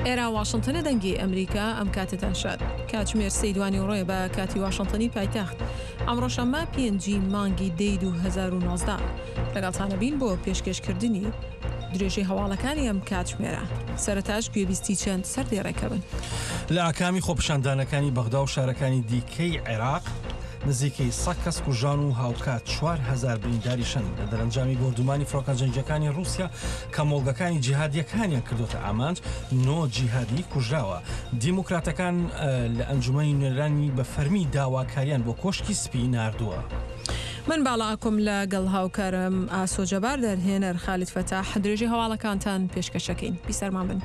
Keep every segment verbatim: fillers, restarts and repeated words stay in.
ئێرە واشنتنە، دەنگی ئەمریکا. ئەم کاتتان شاد. کاتژمێر سێی دوانیوەڕۆیە بە کاتی واشنتنی پایتەخت. ئەمڕۆ شەممە پێنجی مانگی دەی دوو هەزار و نۆزدە. لەگەڵتانە بین بۆ پێشکێشکردنی درێژەی هەواڵەکانی ئەم کاتژمێرە. سەرەتاش گوێبیستی چەند سەردێڕێکە بن. لە ئاکامی خۆپیشاندانەکانی بەغدا و شارەکانی دیکەی عێراق نزیکەی سەد کەس کوژان و هاوکات چوار هەزار برینداریشن لە دەرەنجامی بۆردومانی فڕۆکە جەنگیەکانی ڕووسیا کە مۆڵگەکانی جیهادیەکانیان کردوتە ئامانج، نۆ جیهادی کوژراوە. دیموکراتەکان لە ئەنجومەنی نوێنەرانی بە فەرمی داواکاریان بۆ کۆشکی سپی ناردووە. من باڵا ئاکۆم لەگەڵ هاوکارم ئاسۆ جەبار، دەرهێنەر خالید فەتاح، درێژەی هەواڵەکانتان پێشکەشەکەین. بیسەرمان بن.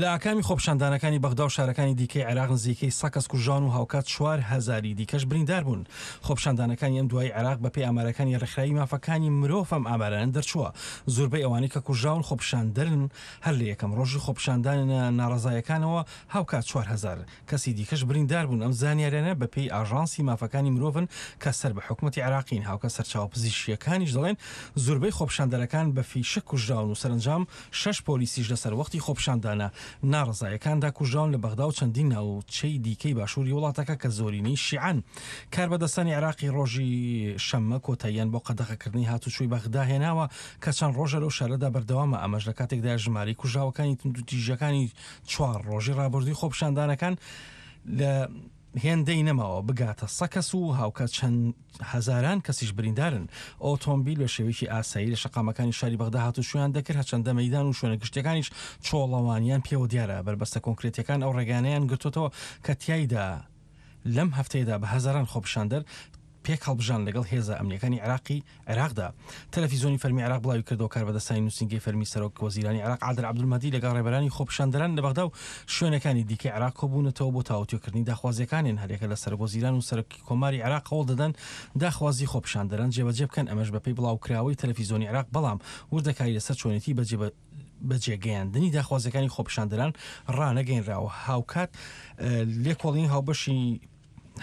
لە ئاکامی خۆپیشاندانەکانی بەغدا و شارەکانی دیکەی عێراق نزیکەی سەد کەس کوژان و هاوکات چوار هەزاری دیکەش بریندار بوون. خۆپیشاندانەکانی ئەم دوایی عێراق بەپێی ئامارەکانی ڕێکخراوی مافەکانی مرۆڤ ئەم ئامارانە دەرچووە. زۆربەی ئەوانەی کە کوژراون خۆپیشاندەرن هەر لە یەکەم ڕۆژی خۆپیشاندانە ناڕەزایەکانەوە هاوکات چوار هەزار کەسی دیکەش بریندار بوون. ئەم زانیاریانە بەپێی ئاژانسی مافەکانی مرۆڤن کە سەر بە حکوومەتی عێراقین. هاوکات سەرچاوە پزیشکیەکانیش دەڵێن زۆربەی خۆپیشاندەرەکان بە فیشەک کوژراون و سەرەنجام شەش پۆلیسیش لەسەر وەختی خۆپیشاندانە ناڕەزایەکاندا کوژراون لە بەغدا و چەندین ناوچەی دیکەی باشووری وڵاتەکە کە زۆرینەی شیعەن. کاربەدەستانی عێراقی ڕۆژی شەممە کۆتاییان بۆ قەدەغەکردنی هاتوچۆی بەغدا هێناوە کە چەند ڕۆژە لەو شارەدا بەردەوامە. ئەمەش لە کاتێکدا ژمارەی کوژراوەکانی توندوتیژیەکانی چوار ڕۆژی ڕابردووی خۆپیشاندانەکان لە هێندەی نەماوە بگاتە سەد کەس و هاوکات چەند هەزاران کەسیش بریندارن. ئۆتۆمبیل بە شێوەیەکی ئاسایی لە شەقامەکانی شاری بەغدا هاتوچۆیان دەکرد، هەرچەندە مەیدان و شوێنە گشتیەکانیش چۆڵەوانیان پێوە دیارە. بەربەستە کۆنکرێتیەکان ئەو ڕێگانەیان گرتوتەوە کە تیایدا لەم هەفتەیەدا بە هەزاران خۆپیشاندەر پێک هەڵبژان لەگەڵ هێزە ئەمنیەکانی عێراقی عێراقدا. تەلەفیزیۆنی فەرمی عێراق بڵاوی کردەوە کاربەدەستانی نووسینگەی فەرمی سەرۆک وەزیرانی عێراق عادل عەبدولمەهدی لەگەڵ ڕێبەرانی خۆپیشاندەران لە بەغدا و شوێنەکانی دیکەی عێراق کۆبوونەتەوە بۆ تاوتوێکردنی داخوازیەکانیان. هەریەکە لە سەرۆک وەزیران و سەرۆکی کۆماری عێراق هەوڵ دەدەن داخوازی خۆپیشاندەران جێبەجێ بکەن، ئەمەش بەپێی بڵاوکراوەی تەلەفیزیۆنی عێراق، بەڵام وردەکاری لەسەر چۆنێتی بەجێگەیاندنی داخوازیەکانی خۆپیشاندەران ڕانەگەیەنراوە. هاوکات لێکۆڵین هاوبەشی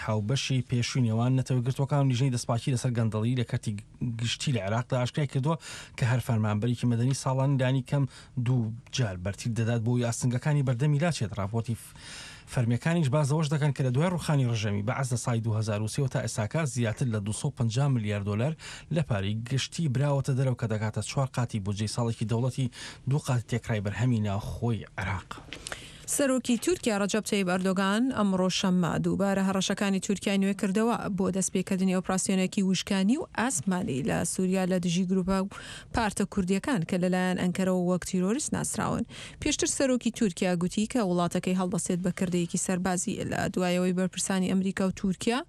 هاوبەشی پێشووی نێوان نەتەوە گرتووەکان و لیژنەی دەستپاکی لەسەر گەندەڵی لە کەرتی گشتی لە عێراقدا ئاشکرای کردووە کە هەر فەرمانبەرێکی مەدەنی ساڵان لانی کەم دوو جار بەرتیل دەدات بۆ ئاستەنگەکانی بەردەمی لاچێت. راپۆرتی فەرمیەکانیش باز لەوەش دەکەن کە لە دوای ڕوخانی ڕژێمی بەعس لە ساڵی دوو هەزار و سێ تا ئێستاکە زیاتر لە دوو سەد و پەنجا ملیار دۆلار لە پارەی گشتی براوەتە دەرەوە کە دەگاتە چوار قاتی بودجەی ساڵێکی دەوڵەتی، دوو قاتی تێکرای بەرهەمی ناوخۆی عێراق. سەرۆکی تورکیا ڕەجەب تەیب ئەردۆگان ئەمڕۆ شەممە دووبارە هەڕەشەکانی تورکیای نوێ کردەوە بۆ دەستپێکردنی ئۆپراسیۆنێکی وشکانی و ئاسمانی لە سووریا لە دژی گروپە و پارتە کوردیەکان کە لەلایەن ئەنکەرەوە وەک تیرۆریست ناسراون. پێشتر سەرۆکی تورکیا گوتی کە وڵاتەکەی هەڵدەستێت بە کردەیەکی سەربازی لە دوایەوەی بەرپرسانی ئەمریکا و تورکیا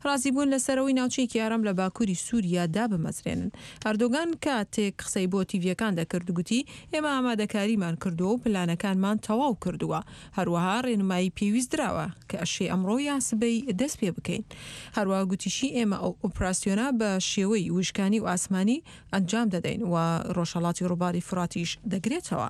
ڕازی بوون لەسەرەوەی ناوچەیەکی ئارام لە باکووری سووریا دابمەزرێنن. ئەردۆگان کاتێک قسەی بۆ تیڤیەکان دەکرد گوتی ئێمە ئامادەکاریمان کردووە و پلانەکانمان تەواو کردووە، هەروەها ڕێنمایی پێویست دراوە کە ئەشێ ئەمڕۆ یا سبەی دەست پێ بکەین. هەروەها گوتیشی ئێمە ئەو ئۆپراسیۆنە بە شێوەی وشکانی و ئاسمانی ئەنجام دەدەین و ڕۆژهەڵاتی ڕووباری فراتیش دەگرێتەوە.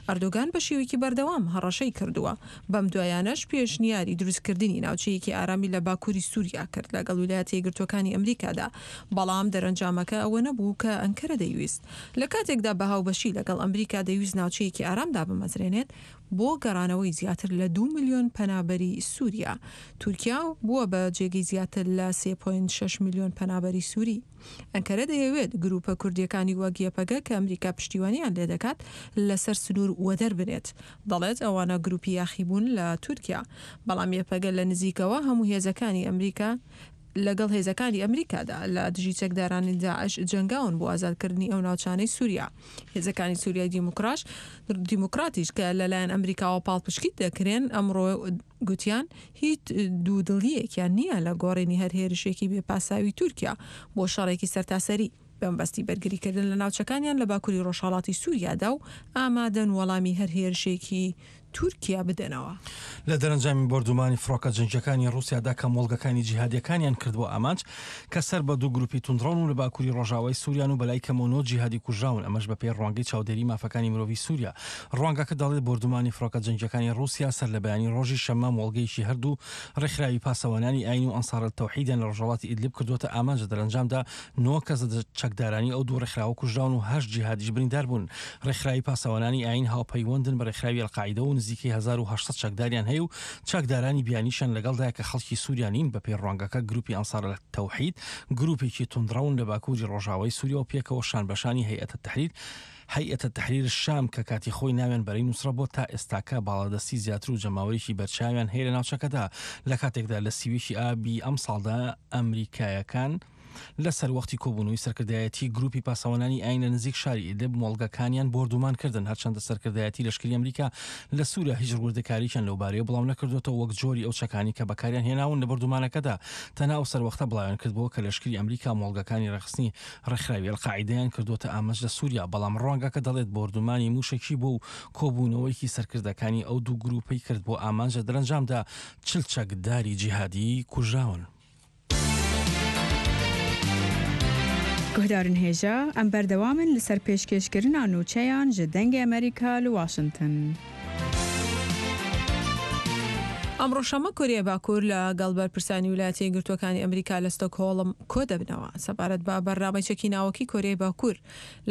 ئەردۆگان بە شێوەیەکی بەردەوام هەڕەشەی کردووە. بەم دوایانەش پێشنیاری دروستکردنی ناوچەیەکی ئارامی لە باکووری سووریا کرد لەگەڵ ویلایەتە یەکگرتووەکانی ئەمریکادا، بەڵام دەرەنجامەکە ئەوە نەبوو کە ئەنکەرە دەیویست. لە کاتێکدا بە هاوبەشی لەگەڵ ئەمریکا دەیویست ناوچەیەکی ئارام دابمەزرێنێت بۆ گەڕانەوەی زیاتر لە دوو ملیۆن پەنابەری سووریا. تورکیا بووە بە جێگەی زیاتر لە سێ پۆینت شەش ملیۆن پەنابەری سووری. ئەنکەرە دەیەوێت گروپە کوردیەکانی وەک یەپەگە کە ئەمریکا پشتیوانیان لێدەکات لەسەر سنوور وەدەر بنێت. دەڵێت ئەوانە گروپی یاخیبوون لە تورکیا، بەڵام یەپەگە لە نزیکەوە هەموو هێزەکانی ئەمریکا لەگەڵ هێزەکانی ئەمریکادا لە دژی چەکدارانی داعش جەنگاون بۆ ئازادکردنی ئەو ناوچانەی سووریا. هێزەکانی سووریای دیموکراش دیموکراتیش کە لەلایەن ئەمریکاوە پاڵپشتی دەکرێن ئەمڕۆ گوتیان هیچ دوودڵیەکیان نییە لە گۆڕینی هەر هێرشێکی بێپاساوی تورکیا بۆ شەڕێکی سەرتاسەری بەمبەستی بەرگریکردن لە ناوچەکانیان لە باکووری ڕۆژهەڵاتی سووریادا و ئامادەن وەڵامی هەر هێرشێکی تورکیا بدەنەوە. لە دەرەنجامی بۆردومانی فڕۆکە جەنگیەکانی ڕووسیادا کە مۆڵگەکانی جیهادیەکانیان کردبوو ئامانج کە سەر بە دوو گروپی توندڕەون و لە باکووری ڕۆژاوای سووریان و بەلای کەمەوە نۆ جیهادی کوژراون، ئەمەش بەپێی ڕوانگەی چاودێری مافەکانی مرۆڤی سووریا. ڕوانگەکە دەڵێت بۆردومانی فڕۆکە جەنگیەکانی ڕووسیا سەر لە بەیانی ڕۆژی شەممە مۆڵگەیەکی هەردوو ڕێکخراوی پاسەوانانی ئاین و ئەنسار التەوحیدیان لە ڕۆژهەڵاتی ئیدلب کردووەتە ئامانج. دەرەنجامدا نۆ کەس لە چەکدارانی ئەو دوو ڕێکخراوە کوژراون و هەشت جیهادیش بریندار بوون. ڕێکخراوی پاسەوانانی ئاین هاوپەیوەندن بە ڕێکخراوی ئەلقاعیدە و نزیکەی هەزار و هەشت سەد چەکداریان هەیە و چەکدارانی بیانیشیان لەگەڵدایە کە خەڵکی سووریا نین. بەپێی ڕوانگەکە گروپی ئەنسار التەوحید گروپێکی توندڕەون لە باکووری ڕۆژاوای سووریا و پێکەوە شان بەشانی هەیئەت التحریر هەیئەت التحریر الشام کە کاتی خۆی ناویان بەرەی نوسرە بۆ تا ئێستاکە باڵادەستی زیاتر و جەماوەرێکی بەرچاویان هەیە لە ناوچەکەدا. لە کاتێکدا لە سیوێکی ئابی ئەمساڵدا ئەمریکایەکان لەسەر وەختی کۆبوونەوەی سەرکردایەتی گروپی پاسەوانانی ئاین لە نزیک شاری ئیدلب مۆڵگەکانیان بۆردومان کردن. هەرچەندە سەرکردایەتی لەشکری ئەمریکا لە سووریا هیچ وردەکارییان لەوبارەیە بڵاو نەکردوێتەوە وەک جۆری ئەو چەکانی کە بەکاریان هێناون لە بۆردومانەکەدا. تەنها ئەو سەروەختە بڵاویان کردبووە کە لەشکری ئەمریکا مۆڵگەکانی ڕێکخستنی ڕێکخراوی ئەلقاعیدەیان کردووەتە ئامانج لە سووریا، بەڵام ڕوانگەکە دەڵێت بۆردومانی موشەکی بوو و کۆبوونەوەیەکی سەرکردەکانی ئەو دوو گروپەی کرد بۆ ئامانج. لە دەرەنجامدا چل چەکداری جیهادی کوژراون. گوهدارن هێژا ئەم بەردەوامن لەسەر پێشکێشکردنا نوچەیان ji دەنگی ئەمریکا لە واشنگتن. ئەمڕۆ شەممە کۆریای باکوور لەگەڵ بەرپرسانی ویلایەتە یەکگرتووەکانی ئەمریکا لە ستۆکهۆڵم کۆ دەبنەوە سەبارەت بە بەرنامەی چەکی ناوەکی کۆریای باکوور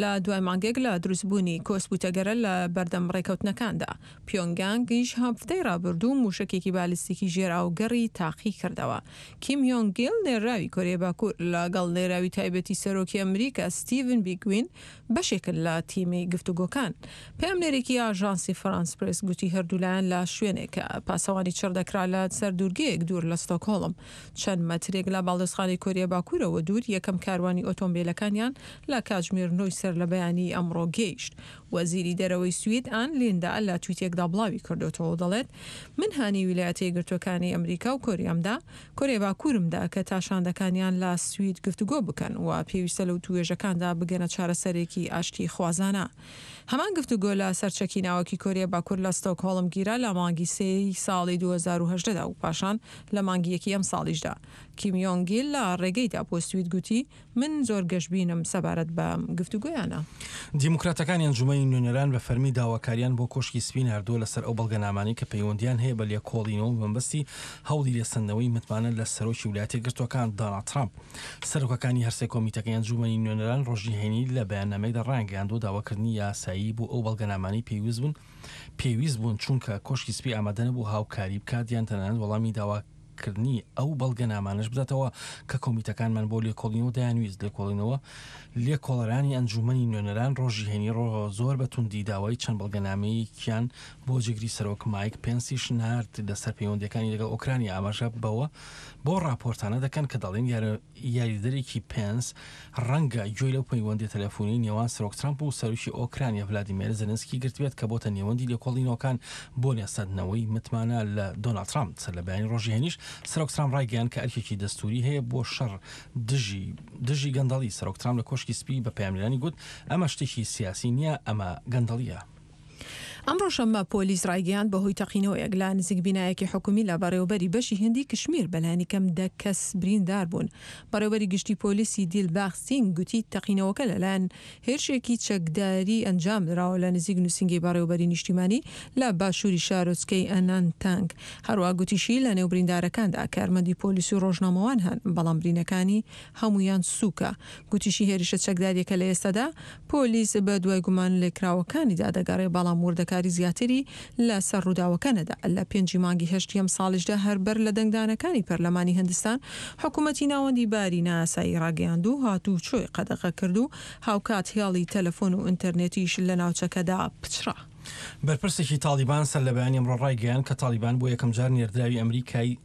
لە دوای مانگێک لە دروستبوونی کۆسپ و تەگەرە لە بەردەم ڕێکەوتنەکاندا. پیۆنگیانگیش هەفتەی ڕابردوو موشەکێکی بالیستیکی ژێرئاوگەڕی تاقی کردەوە. کیم یۆنگ گیل نێراوی کۆریای باکوور لەگەڵ نێراوی تایبەتی سەرۆکی ئەمریکا ستیڤن بیگوین بەشێکن لە تیمی گفتوگۆکان. پەیامنێرێکی ئاژانسی فرانس پرێس گوتی هەردوولایەن لە شوێنێک کە پاسەوانی چڕ دەکرا لە سەر دوورگەیەک دوور لە ستۆکهۆڵم چەند مەترێک لە باڵیۆزخانەی کۆریای باکوورەوە دوور یەکەم کاروانی ئۆتۆمبیلەکانیان لە کاتژمێر نۆی سەر لە بەیانی ئەمڕۆ گەیشت. وەزیری دەرەوەی سوید ئان لیندا لە تویتێکدا بڵاوی کردوتەوە و دەڵێت من هانی ویلایەتە یەکگرتووەکانی ئەمریکا و کۆریامدا کۆریای باکوورمدا کە تا شاندەکانیان لە سوید گفتوگۆ بکەن و پێویستە لەو توێژەکاندا بگەنە چارەسەرێکی ئاشتی خوازانە. هەمان گفتوگۆ لە سەرچەکی ناوەکی کۆریای باکوور لە ستۆکهۆڵم گیرا لە مانگی سێی ساڵی دوو هەزار و هەژدە دا و پاشان لە مانگی یەکی ئەم ساڵیشدا. کیم یۆنگ گیل لە ڕێگەیدا بۆ سوید گوتی من زۆر گەشبینم سەبارەت بە گفتوگۆیانە. دیموکراتەکانی ئەنجومەنی نوێنەران بە فەرمی داواکاریان بۆ کۆشکی سپی ناردووە لەسەر ئەو بەڵگەنامانەی کە پەیوەندیان هەیە بە لێکۆڵینەوە بەمەبەستی هەوڵی لێسەندنەوەی متمانە لە سەرۆکی ویلایەتە یەکگرتووەکان دۆناڵد ترامپ. سەرۆکەکانی هەرسێ کۆمیتەکەی ئەنجومەنی نوێنەران ڕۆژی هەینی لە بەیاننامەیەکدا ڕایانگەیاندووە داواکردنی یاسایی بۆ ئەو بەڵگەنامانەی پێویست بوون پێویست بوون چونکە کۆشکی سپی ئامادە نەبوو هاوکاری بکات یان تەنانەت وەڵامی داواکردنی ئەو بەڵگەنامانەش بداتەوە کە کۆمیتەکانمان بۆ لێکۆڵینەوە دەیانویست. لێکۆڵینەوە لێکۆڵەرانی ئەنجومەنی نوێنەران ڕۆژی هەینی ڕۆ زۆر بە توندی داوای چەند بەڵگەنامەیەکیان بۆ جێگری سەرۆک مایک پێنسیش نارد لەسەر پەیوەندیەکانی لەگەڵ ئۆکرانیا. ئاماژە بەوە بۆ راپۆرتانە دەکەن کە دەڵێن یاریدەرێکی پێنس ڕەنگە گوێی لەو پەیوەندی تەلەفۆنی نێوان سەرۆک ترامپ و سەرۆکی ئۆکرانیا ڤلادیمێر زێلێنسکی گرتبێت کە بۆتە نێوەندی لێکۆڵینەوەکان بۆ لێسەندنەوەی متمانە لە دۆناڵد ترامپ. سەر لە بەیانی ڕۆژی هەینیش سەرۆک ترامپ ڕایگەیاند کە ئەرکێکی دەستوری هەیە بۆ شەڕ دژی دژی گەندەڵی. سەرۆک ترامپ لە کۆشکی سپی بە پەیامنێرانی گوت ئەمە شتێکی سیاسی نییە، ئەمە گەندەڵیە. ئەمڕۆ شەممە پۆلیس ڕایگەیاند بەهۆی تەقینەوەیەک لە نزیک بینایەکی حکومی لە بەڕێوەبەری بەشی هندی کشمیر بەلایەنی کەم دە کەس بریندار بوون. بەڕێوەبەری گشتی پۆلیسی دیلباغ سینگ گوتی تەقینەوەکە لەلایەن هێرشێکی چەکداری ئەنجام دراوە لە نزیک نووسینگەی بەڕێوەبەری نیشتیمانی لە باشووری شارۆچکەی ئەنانتانگ. هەروەها گوتیشی لەنێو بریندارەکاندا کارمەندی پۆلیس و ڕۆژنامەوان هەن، بەڵام برینەکانی هەموویان سووکە. گوتیشی هێرشە چەکداریەکە لە ئێستادا پۆلیس بە دوای گومان لێکراوەکانیدا دەگەڕێ، بەڵام وردەکاری زیاتری لەسەر ڕووداوەکە نەدا. لە پێنجی مانگی هەشتی ئەم ساڵیشدا هەر بەر لە دەنگدانەکانی پەرلەمانی هندستان حکوومەتی ناوەندی باری نائاسایی ڕاگەیاند و هاتوچۆی قەدەغە کرد و هاوکات هێڵی تەلەفۆن و ئینتەرنێتیش لە ناوچەکەدا پچڕا. بەرپرسێکی تاڵیبان سەر لە بەیانی ئەمڕۆ ڕایگەیاند کە تاڵیبان بۆ یەکەمجار نێردراوی ئەمریکای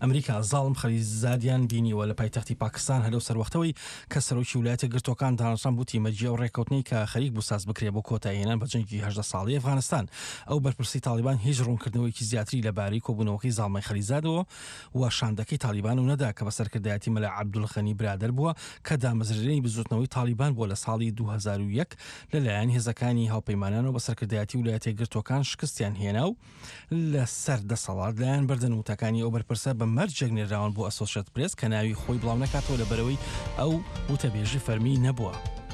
ئەمریکا زاڵم خەلیلزادیان بینیوە لە پایتەختی پاکستان هەر لەو سەروەختەوەی کە سەرۆکی ولایەتە یەکگرتووەکان داناڵد ترامپ وتی مەرجی ئەو ڕێککەوتنەی کە خەریک بوو ساز بکرێ بۆ کۆتاییهێنان بە جەنگی هەژدە ساڵەی ئەفغانستان ئەو بەرپرسەی تاڵیبان هیچ ڕوونکردنەوەیەکی زیاتری لەبارەی کۆبوونەوەکەی زاڵمای خەلیلزادەوە و شاندەکەی تاڵیبانەوە نەدا کە بە سەرکردایەتی مەلا عەبدولغەنی برادەر بووە کە دامەزرێنەری بزووتنەوەی تاڵیبان بووە لە ساڵی دوو هەزار و یەک لەلایەن هێزەکانی هاوپەیمانانەوە بە سەرکردایەتی ولایەتە یەکگرتووەکان شکستیان هێنا و لەسەر دەسەڵات لایان بردن. وتەکانی ئەو بەرپرسە بە مەرجێک نێراون بۆ ئەسۆشێتد پرێس کە ناوی خۆی بڵاونەکاتەوە لەبەرئەوەی ئەو وتەبێژی فەرمی نەبووە.